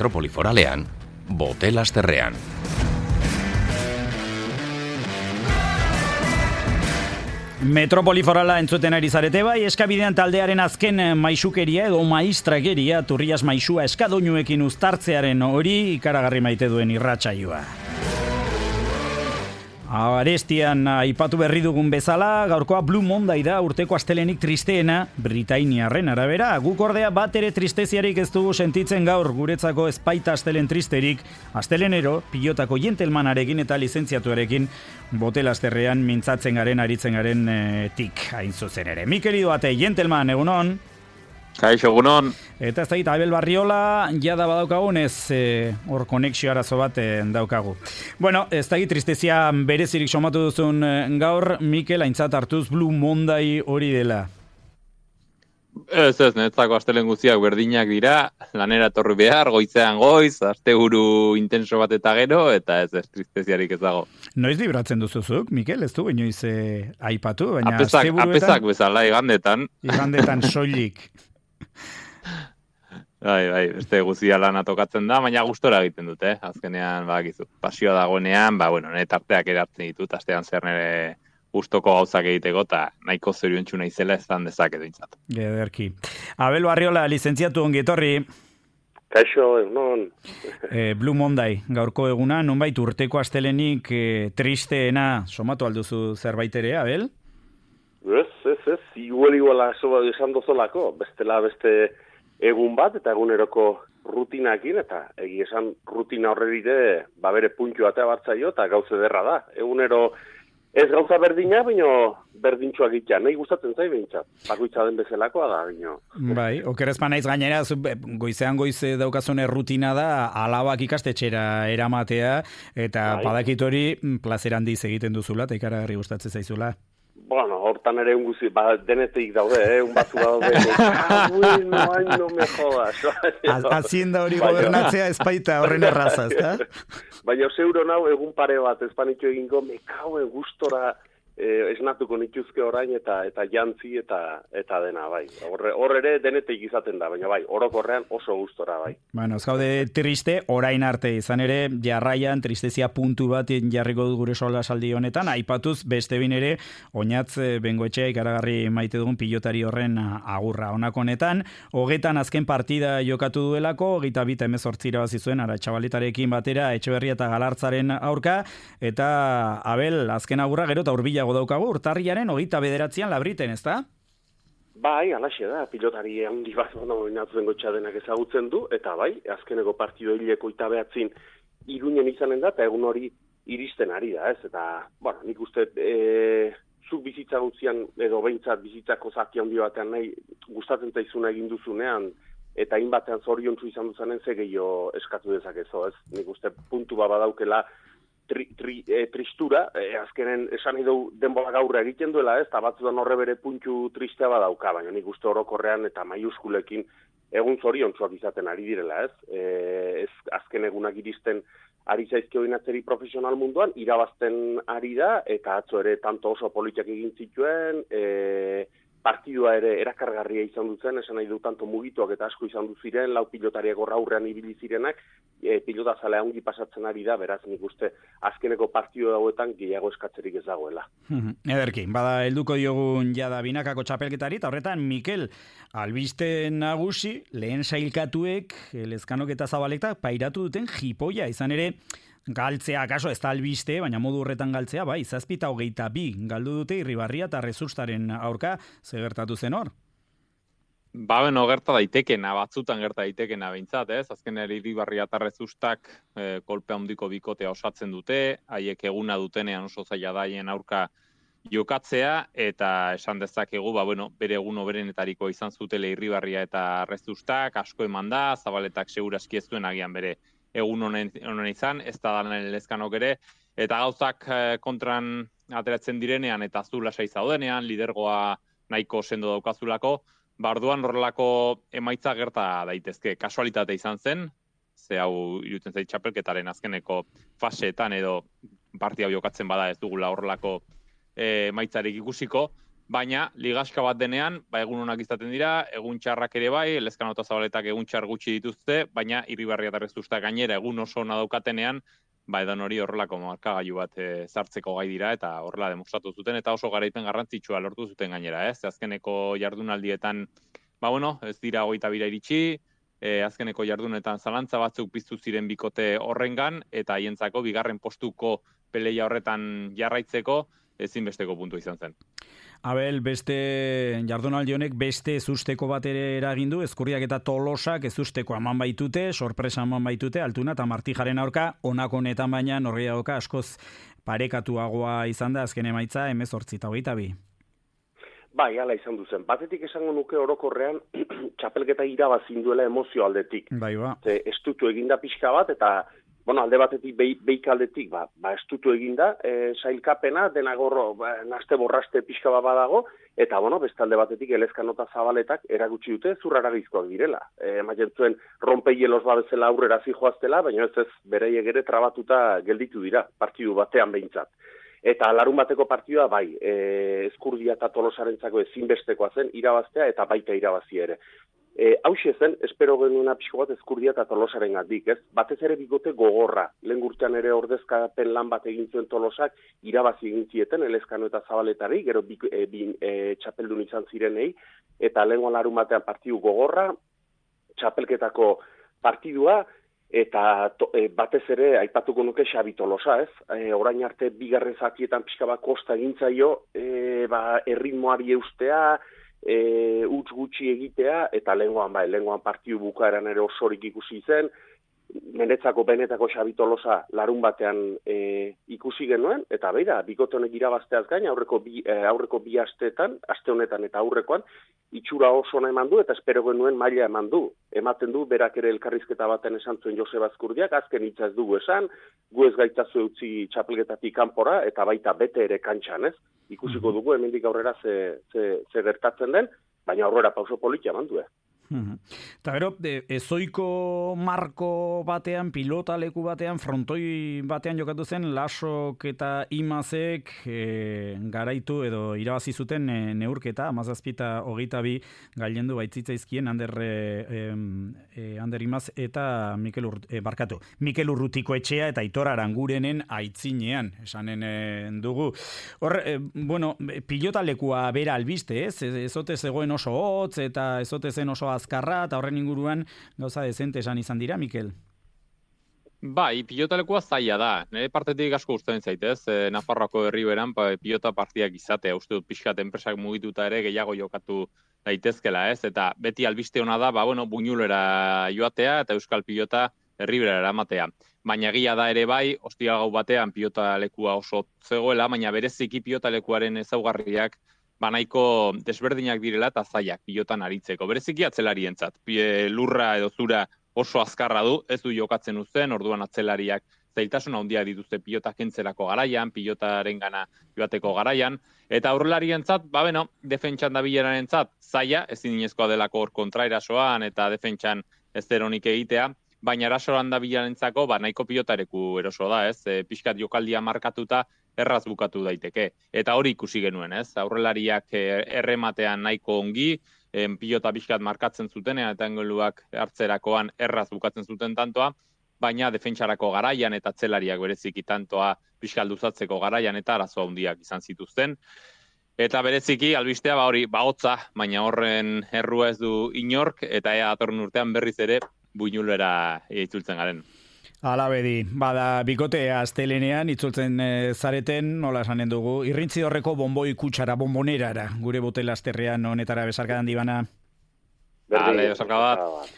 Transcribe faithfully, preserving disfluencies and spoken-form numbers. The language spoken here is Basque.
metropoli foralean, Botelasderrean. Metropoli forala entzuten ari zarete bai, eskabidean taldearen azken maisukeria edo maistrakeria Turrias maisua eskadoinuekin uztartzearen hori ikaragarri maite duen irratsaioa. Arestian aipatu berri dugun bezala, gaurkoa Blue Monday da urteko astelenik tristeena, Britainiarren arabera. Guk ordea bat ere tristeziarik ez dugu sentitzen gaur, guretzako ez baita astelen tristerik. Astelenero, pilotako jentelmanarekin eta lizentziatuarekin Botelasderrean mintzatzen garen, aritzen garen e, tik hain zuzen ere. Mikel Idoate, jentelman, egunon? Kaixo, egunon. Eta ez da, Abel Barriola, jada badaukagunez, hor e, konexio arazo bat e, daukagu. Bueno, ez da, tristezia berezirik somatu duzun e, gaur, Mikel, aintzat hartuz Blue Monday hori dela. Ez ez, netzako astelen guztiak berdinak dira, lanera etorri behar, goizean goiz, asteburu intenso bat eta gero, eta ez ez, tristeziarik ez dago. Noiz libratzen duzuzuk, Mikel, ez du, inoiz e, aipatu, baina apesak, asteburuetan... Apesak bezala, igandetan. Igandetan soilik. Bai, bai, beste guztia lana tokatzen da, baina gustora egiten dut, eh? Azkenean, badakizu, pasioa dagoenean, ba, bueno, nire tarteak eratzen ditut, astean zer nire gustoko gauzak egiteko, eta nahiko zoriontsu naizela ezan dezaketu intzat. Gederki. Abel Barriola, lizentziatu ongi etorri. Kaixo, non. e, Blue Monday, gaurko eguna, nonbait urteko astelenik e, tristeena somatu alduzu zerbait ere, Abel? Ez, ez, ez, igual iguala esan dozolako, bestela beste egun bat eta eguneroko rutinakin, eta egi esan rutina horreride ba bere puntu atea bartzaio eta gauze derra da. Egunero ez gauza berdina, baino berdintxoak itxan, nahi gustatzen zai behintzat. Bakoitza den bezalakoa da, baino. Bai, okerezpa naiz gainera, goizean goize daukazune rutina da, alabak ikastetxera eramatea, eta bai. Badakit hori plazer handiz egiten duzula, eta ikaragarri gustatzen zaizula. Bueno, hortan ere un guzi, ba, denetik daude, eh, un batzu daude. Ah, bueno, ay, no me jodas. Hacienda hori gobernatzea espaita horren erraza, ezta? Baina, zeuro nau, egun pare bat, espanitxo egingo, me kauen gustora eh, esnatuko nituzke orain, eta eta jantzi, eta eta dena, bai. Horre, hor ere denetik izaten da, baina bai, orokorrean oso gustora, bai. Bueno, ez gaude triste, orain arte, izan ere, jarraian, tristezia puntu bat jarriko du gure sola saldi honetan, aipatuz, beste bin ere, oinatz bengoetxea ikaragarri maite dugun pilotari horren agurra. Honako honetan, hogetan azken partida jokatu duelako, hogeita bita emezortzira bazizuen, ara txabaletarekin batera, Etxeberria eta Galartzaren aurka, eta Abel, azken agurra gero eta urbilago daukagu, urtarriaren hogeita bederatzean Labriten, ezta? Bai, alaxe da, pilotari handi bat, no, inatzen gotxa denak ezagutzen du, eta bai, azkeneko partido hileko eta behatzin Iruñen izanen da, eta egun hori iristen ari da, ez? Eta, bueno, nik uste, e, zuk bizitza gutzian, edo behintzat bizitzako zati handi batean nahi gustatzen zaizuna egin duzunean, eta hainbatean zoriontsu izan duzanen ze gehiago eskatu dezakezo, ez? Nik uste puntu bat badaukela tri, tri, e, tristura, e, azkenen esan edo denbola gaurra egiten duela, ez? Eta batzutan horre bere puntu tristea badauka, baina nik uste orokorrean eta maiuskulekin egun zoriontsuak izaten ari direla, ez? E, ez azken egunak iristen ari zaizkio inatzeri profesional munduan, irabazten ari da, eta atzo ere tanto oso politiak egin zituen, e, partidua ere erakargarria izan duzen, esan nahi du tanto mugituak eta asko izan du ziren, lau pilotariak horra aurrean ibili zirenak, e, pilota zalea ongi pasatzen ari da, beraz nik uste azkeneko partidu dauetan gehiago eskatzerik ez dagoela. Ederki, bada helduko diogun jada binakako txapelketari, eta horretan Mikel, albiste nagusi, lehen sailkatuek, Lezkanok eta Zabaleta, pairatu duten jipoia, izan ere, galtzea, kaso ez da albiste, baina modu horretan galtzea, bai, zazpita hogeita bi, galdu dute Irribarria eta Rezustaren aurka, ze gertatu zen hor? Ba, beno, gerta daitekena, batzutan gerta daitekena behintzat, ez? Azken Irribarria eta Rezustak eh, kolpe handiko bikotea osatzen dute, haiek eguna dutenean oso zaila daien aurka jokatzea, eta esan dezakegu, ba, bueno, bere egun oberenetariko izan zutele Irribarria eta Rezustak, asko eman da, Zabaletak seguraski ez duen agian bere egun honen, honen izan, ez da danen Lezkanok ere, eta gauzak kontran ateratzen direnean, eta zu lasai zaudenean, lidergoa nahiko sendo daukazulako, barduan horrelako emaitza gerta daitezke. Kasualitate izan zen, ze hau irutzen zait txapelketaren azkeneko faseetan edo partia jokatzen bada ez dugula horrelako emaitzarik ikusiko, baina ligaska bat denean, ba, egun onak izaten dira, egun txarrak ere bai, Elezkano eta Zabaletak egun txar gutxi dituzte, baina Irribarriatarrek Zuztak gainera egun oso ona daukatenean, ba, edan hori horrelako markagailu bat e, zartzeko gai dira, eta horrela demostratu zuten, eta oso garaipen garrantzitsua lortu zuten gainera, ez? Azkeneko jardunaldietan, ba, bueno, ez dira hogeita bira iritsi, e, azkeneko jardunetan zalantza batzuk piztu ziren bikote horrengan, eta haientzako bigarren postuko peleia horretan jarraitzeko ezinbesteko puntu izan zen. Abel, beste jardunaldi honek beste ezusteko bat ere eragin du, Ezkurdiak eta Tolosak ezusteko eman baitute, sorpresa eman baitute, Altuna eta Martijaren aurka, honako honetan baina norgehiagoka askoz parekatuagoa izan da azken emaitza hemezortzi eta hogeita bi. Bai, hala izan duzen. Batetik esango nuke orokorrean txapelketa irabazin duela emozio aldetik. Bai, ba. Ze, estutu eginda pixka bat, eta bueno, alde batetik, beik aldetik, ba, ba estutu eginda, e, sailkapena, denagorro, ba, naste borraste pixka bat badago, eta, bueno, beste alde batetik, Elezkano eta Zabaletak eragutsi dute zurraragizkoak direla. E, ematen zuen, rompehielos babezela aurrera zijoaztela, baina ez ez, bereiek ere trabatuta gelditu dira, partidu batean behintzat. Eta larun bateko partidua, bai, e, Ezkurdia eta Tolosarentzako ezinbestekoa zen, irabaztea eta baita irabazi ere. E, hauxe zen, espero genuena pixko bat Ezkurdia eta Tolosaren gandik, ez? Batez ere bigote gogorra. Lehen urtean ere ordezkapen lan bat egin zuen Tolosak, irabazi egin zieten, Elezkano eta Zabaletari, gero bi, e, bi, e, txapeldun izan zirenei, eta lehen larun batean partidu gogorra, txapelketako partidua, eta to, e, batez ere aipatuko nuke Xabi Tolosa, ez? E, orain arte bigarren zatietan pixka bat kosta egintzaio, e, ba, erritmoari eustea, e, utz gutxi egitea, eta lehengoan, bai, lehengoan partidu bukaeran ere osorik ikusi zen, menetzako benetako Xabi Tolosa larun batean e, ikusi genuen, eta beira, bikote honek irabazteaz gain, aurreko bi, e, aurreko bi asteetan, aste honetan eta aurrekoan, itxura oso ona eman du, eta espero genuen maila eman du. Ematen du, berak ere elkarrizketa baten esan zuen Joseba Ezkurdiak, azken hitza ez dugu esan, gu ez gaitazu utzi txapelketatik kanpora, eta baita bete ere kantxan, ez? Ikusiko dugu, hemendik aurrera ze, ze, ze gertatzen den, baina aurrera pauso politia eman du, eh? Eta gero, ezoiko marko batean, pilota leku batean, frontoi batean jokatu zen, Lasok eta Imazek e, garaitu edo irabazi zuten e, neurketa, amazazpita hogeita bi gailendu baitzitzaizkien Ander, e, e, Ander Imaz eta Mikel, Ur, e, barkatu, Mikel Urrutiko etxea eta Aitor Arangurenen aitzinean, esanen e, dugu. Hor, e, bueno, pilota lekua bera albiste, ez? Ezote zegoen oso hotz eta ezote zen oso azkarra, eta horren inguruan gauza dezente esan izan dira, Mikel? Bai, pilotalekua zaila da. Nire partetik asko gustatzen zaitez, e, Nafarroako herriberan pa, pilota partidak izatea, uste dut pixkat enpresak mugituta ere gehiago jokatu daitezkela, ez? Eta beti albiste ona da, ba, bueno, buñulera joatea eta euskal pilota herribera eramatea. Baina egia da ere bai, ostiral gau batean pilotalekua oso zegoela, baina bereziki pilotalekuaren ezaugarriak banaiko desberdinak direla eta zailak pilotan aritzeko. Bereziki atzelarientzat. Lurra edo zura oso azkarra du, ez du jokatzen uzten, orduan atzelariak zailtasun handia dituzte pilota kentzerako garaian, pilotaren gana joateko garaian, eta aurrelarientzat, ba beno, defentsan dabilerarentzat zaila, ezin inezkoa delako hor kontraerasoan eta defentsan ez eronik egitea, baina erasoan dabilerentzako ba nahiko pilotareku eroso da, ez? E, pixkat jokaldia markatuta erraz bukatu daiteke. Eta hori ikusi genuen, ez? Aurrelariak errematean nahiko ongi, en, pilota pixkat markatzen zutenean eta engeluak hartzerakoan erraz bukatzen zuten tantoa, baina defentsarako garaian eta atzelariak bereziki tantoa pixkat luzatzeko garaian eta arazo handiak izan zituzten. Eta bereziki albistea ba hori bahotza, baina horren errua ez du inork eta ea datorren urtean berriz ere buinulera itzultzen garen. Hala bedi, bada bikotea astelenean itzultzen e, zareten, nola esanen dugu, irrintzi horreko bomboi kutsara, bombonerara, gure botel asterrean honetara besarkadan dibana. Bale, besarka bat.